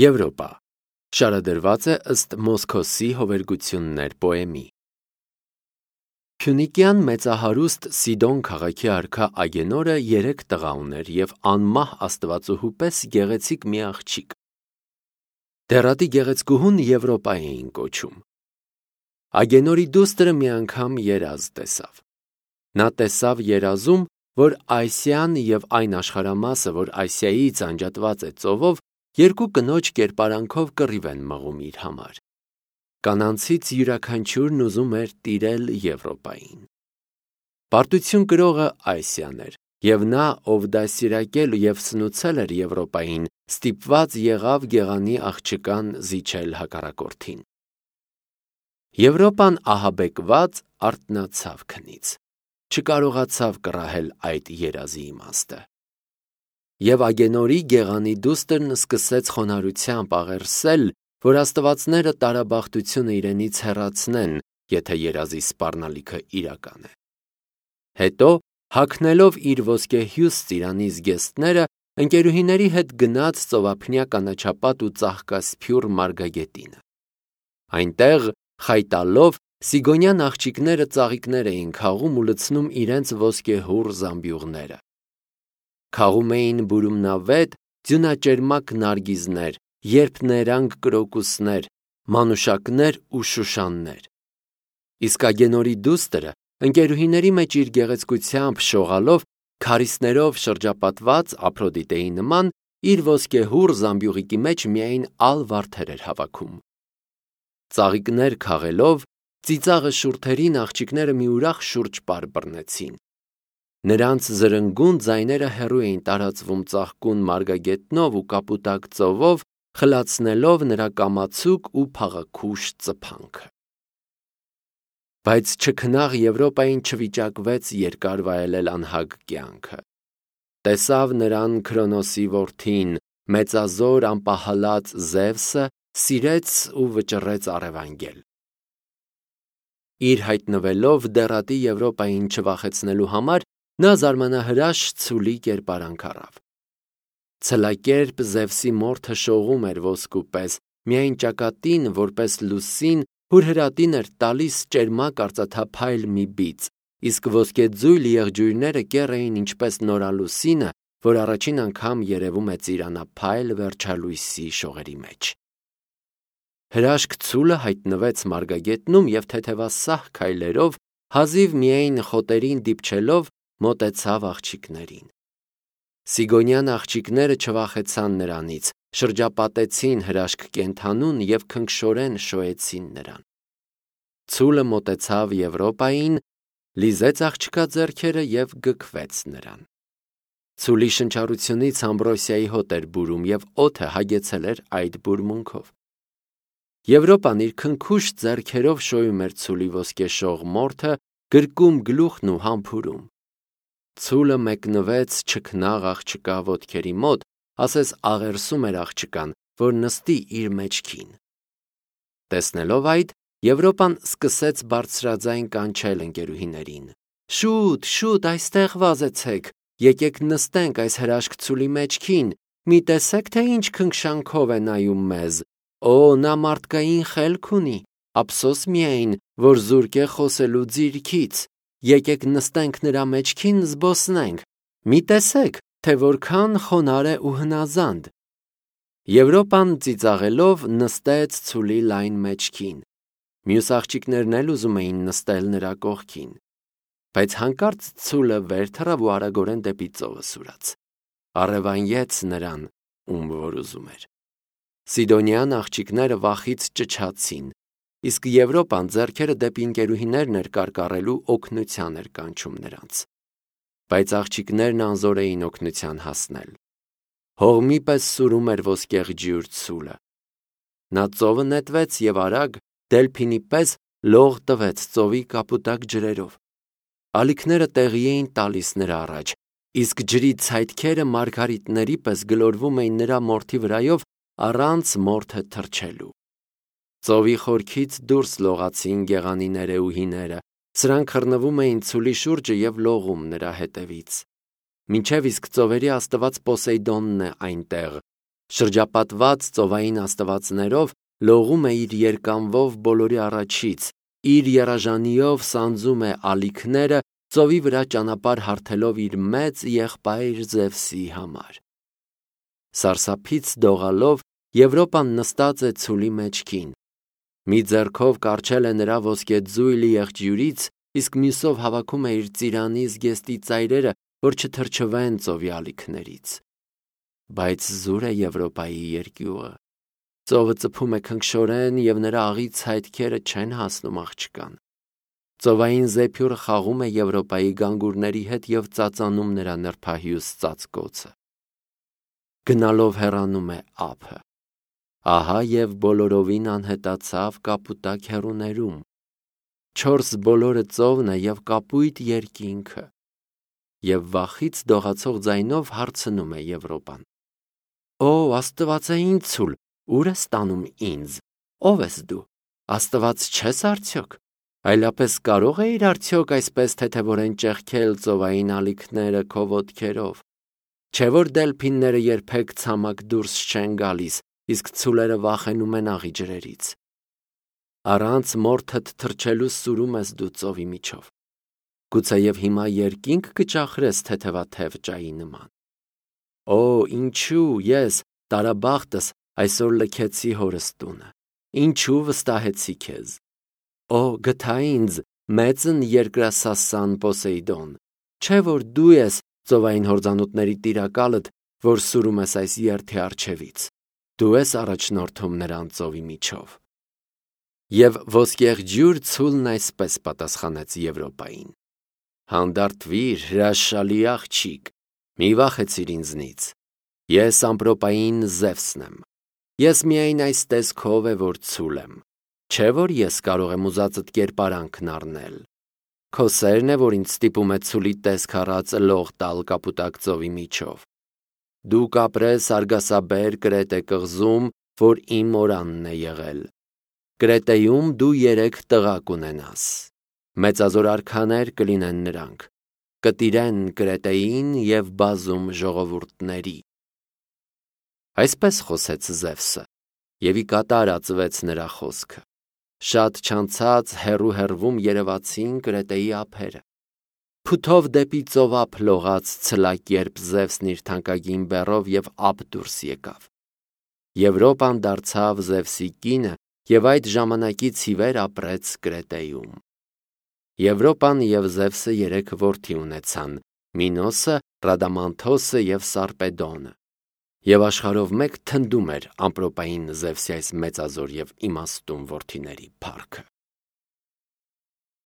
Եվրոպա շարադրված է ըստ Մոսքոսի հովերգություններ պոեմի։ Փյունիկյան մեծահարուստ Սիդոն քաղաքի արքա Ագենորը 3 տղա ուներ և անմահ աստվածուհու պես գեղեցիկ մի աղջիկ։ Դեռատի գեղեցկուհուն Եվրոպա էին կոչում։ Ագենորի դուստրը մի անգամ երազ տեսավ։ Նա տեսավ երազում, որ Այսիան և այն աշխարհամասը, որ Ասիայից անջատված է ծովով, երկու կնոջ կերպարանքով կռիվ են մղում իր համար։ Կանանցից յուրաքանչյուրն ուզում էր տիրել Եվրոպային։ Պարտություն կրողը Այսիան էր, և նա, ով դաստիարակել և սնուցել էր Եվրոպային, ստիպված եղավ գեղանի աղջկան զիջել հակառակորդին։ Եվրոպան ահաբեկված արթնացավ քնից, չկարողացավ կռահել այդ երազի իմաստը։ Եվ Ագենորի գեղանի դուստրն սկսեց խոնարհությամբ աղերսել, որ աստվածները տարաբախտությունը իրենից հեռացնեն, եթե երազի սպառնալիքը իրական է։ Հետո, հագնելով իր ոսկեհյուս ծիրանի զգեստները, ընկերուհիների հետ գնաց ծովափնյա կանաչապատ ու ծաղկասփյուռ մարգագետինը։ Այնտեղ, խայտալով, սիգոնյան աղջիկները ծաղիկներ էին քաղում ու լցնում իրենց ոսկեհուռ զամբյուղները։ Քաղում էին բուրումնավետ, ձյունաճերմակ նարգիզներ, երփներանգ կրոկուսներ, մանուշակներ ու շուշաններ։ Իսկ Ագենորի դուստրը, ընկերուհիների մեջ իր գեղեցկությամբ շողալով, քարիզներով շրջապատված Ափրոդիտեի նման, իր ոսկեհուռ զամբյուղիկի մեջ միայն ալ վարդեր էր հավաքում։ Ծաղիկներ քաղելով, ծիծաղը շուրթերին աղջիկները մի ուրախ շուրջպար բռնեցին։ Նրանց զրնգուն ձայները հեռու էին տարածվում ծաղկուն մարգագետնով ու կապուտակ ծովով, խլացնելով նրա կամացուկ ու փաղաքուշ ծփանքը։ Բայց չքնաղ Եվրոպային չվիճակվեց երկար վայելել անհագ կյանքը։ Տեսավ նրան Քրոնոսի որդին, մեծազոր անպահալած Զևսը, սիրեց ու վճռեց առևանգել։ Իր հայտնվելով դեռատի Եվրոպային չվախեցնելու համար, նա զարմանահրաշ ցուլի կերպարանք առավ։ Ցլակերպ Զևսի մորթը շողում էր ոսկու պես, միայն ճակատին, որպես լուսին, հուրհրատին էր տալիս ճերմակ արծաթափայլ մի բիծ, իսկ ոսկեձույլ եղջյուրները կեռ էին ինչպես նորալուսինը, որ առաջին անգամ երևում է ծիրանափայլ վերջալույսի շողերի մեջ։ Հրաշք ցուլը հայտնվեց մարգագետնում և թեթևասահ քայլերով, հազիվ միայն խոտերին դիպչելով, մոտեցավ աղջիկներին։ Սիգոնյան աղջիկները չվախեցան նրանից, շրջապատեցին հրաշք կենդանուն և քնքշորեն շոյեցին նրան։ Ցուլը մոտեցավ Եվրոպային, լիզեց աղջկա ձեռքերը և գքվեց նրան։ Ցուլի շնչառությունից Ամբրոսիայի հոտ էր բուրում և օդը հագեցել էր այդ բուրմունքով։ Եվրոպան իր քնքուշ ձեռքերով շոյում էր ցուլի ոսկեշող մորթը, գրկում գլուխն ու համբուրում։ Ցուլը մեկնվեց չքնաղ աղջկա ոտքերի մոտ, ասես աղերսում էր աղջկան, որ նստի իր մեջքին։ Տեսնելով այդ, Եվրոպան սկսեց բարձրաձայն կանչել ընկերուհիներին. «Շուտ, շուտ այստեղ վազեցեք, եկեք նստենք այս հրաշք ցուլի մեջքին, մի տեսեք, թե ինչ քնքշանքով է նայում մեզ, օ, նա մարդկային խելք ունի, ափսոս միայն, որ զուրկ է խոսելու ձիրքից, եկեք նստենք նրա մեջքին զբոսնենք, մի տեսեք, թե որքան խոնարհ է ու հնազանդ»։ Եվրոպան ծիծաղելով նստեց ցուլի լայն մեջքին։ Մյուս աղջիկներն էլ ուզում էին նստել նրա կողքին, բայց հանկարծ ցուլը վեր թռավ ու արագորեն դեպի ծովը սուրաց։ Առևանգեց նրան, ում որ ուզում էր։ Սիդոնյան աղջիկները վախից ճչացին, իսկ Եվրոպան ձեռքերը դեպի ընկերուհիներն էր կարկառելու օգնության էր կանչում նրանց։ Բայց աղջիկներն անզոր էին օգնության հասնել։ Հողմի պես սուրում էր ոսկեղջյուր ցուլը։ Նա ծովը նետվեց և արագ, դելփինի պես լող տվեց ծովի կապուտակ ջրերով։ Ալիքները տեղի էին տալիս նրա առաջ, իսկ ջրի ցայտքերը մարգարիտների պես գլորվում էին նրա մորթի վրայով առանց մորթը թրջելու։ Ծովի խորքից դուրս լողացին գեղանի ներեուհիները, սրանք խռնվում էին ցուլի շուրջը և լողում նրա հետևից։ Մինչև իսկ ծովերի աստված Պոսեյդոնն է այնտեղ, Շրջապատված ծովային աստվածներով լողում է իր երկանվով բոլորի առաջից, իր երաժանիով սանձում է ալիքները, ծովի վրա ճանապարհ հարթելով իր մեծ եղբայր Զևսի համար։ Սարսափից դողալով Եվրոպան նստած է ցուլի մեջքին։ Մի ձեռքով կառչել է նրա ոսկեձույլ եղջյուրից, իսկ մյուսով հավաքում է իր ծիրանի զգեստի ծայրերը, որ չթրջվեն ծովի ալիքներից։ Բայց զուր է Եվրոպայի երկյուղը։ Ծովը ծփում է քնքշորեն և նրա աղից հայտքերը չեն հասնում աղջկան։ Ծովային զեփյուռը խաղում է Եվրոպայի գանգուրների հետ և ծածանում նրա նրբահյուս ծածկոցը։ Գնալով հեռանում է ափը։ Ահա և բոլորովին անհետացավ կապուտակ հեռուներում։ Չորս բոլորը ծովն է և կապույտ երկինքը։ Եվ վախից դողացող ձայնով հարցնում է Եվրոպան. «Օ, Աստվածային ցուլ, ուր ես տանում ինձ, ով ես դու, Աստված չես արդյոք, այլապես կարող էիր արդյոք այսպես թեթևորեն ճեղքել ծովային ալիքները քո ոտքերով, չէ որ դելփինները երբեք ցամաք դուրս չեն գալիս, իսկ ցուլերը վախենում են աղի ջրերից։ Առանց մորթդ թրջելու սուրում ես դու ծովի միջով, գուցեև հիմա երկինք կճախրես թեթևաթև ճայի նման։ Օ, ինչու ես, տարաբախտս, այսօր լքեցի հորս տունը, ինչու վստահեցի քեզ։ Օ, գթա ինձ, մեծն երկրասասան Պոսեյդոն, չէ որ դու ես ծովային հորձանուտների տիրակալդ, որ սուրում ես այս երթի առջևից, դու ես առաջնորդում նրան ծովի միջով։ Եվ ոսկեղջյուր ցուլն այսպես պատասխանեց Եվրոպային. Հանդարտվիր, հրաշալի աղջիկ, մի վախեցիր ինձնից, ես ամպրոպային Զևսն եմ, ես միայն այս տեսքով է, որ ցուլ եմ, չէ որ ես կարող եմ ուզածդ կերպարանքն առնել, քո սերն է, որ ինձ ստիպում է ցուլի տեսք առած լող տալ կապուտակ ծովի միջով, դու կապրես արգասաբեր Կրետե կղզում, որ իմ օրանն է եղել, Կրետեում դու 3 տղա կունենաս, մեծազոր արքաներ կլինեն նրանք, կտիրեն Կրետեին և բազում ժողովուրդների։ Այսպես խոսեց Զևսը, և ի կատար ածվեց նրա խոսքը։ Շատ չանցած հեռու-հեռվում երևացին Կրետեի ափերը։ Փութով դեպի ծովափ լողաց ցլակերպ Զևսն իր թանկագին բեռով և ափ դուրս եկավ։ Եվրոպան դարձավ Զևսի կինը և այդ ժամանակից ի վեր ապրեց Կրետեում։ Եվրոպան և Զևսը 3 որդի ունեցան՝ Մինոսը, Ռադամանթոսը և Սարպեդոնը։ Եվ աշխարհով մեկ թնդում էր ամպրոպային Զևսի այս մեծազոր և իմաստուն որդիների փառքը։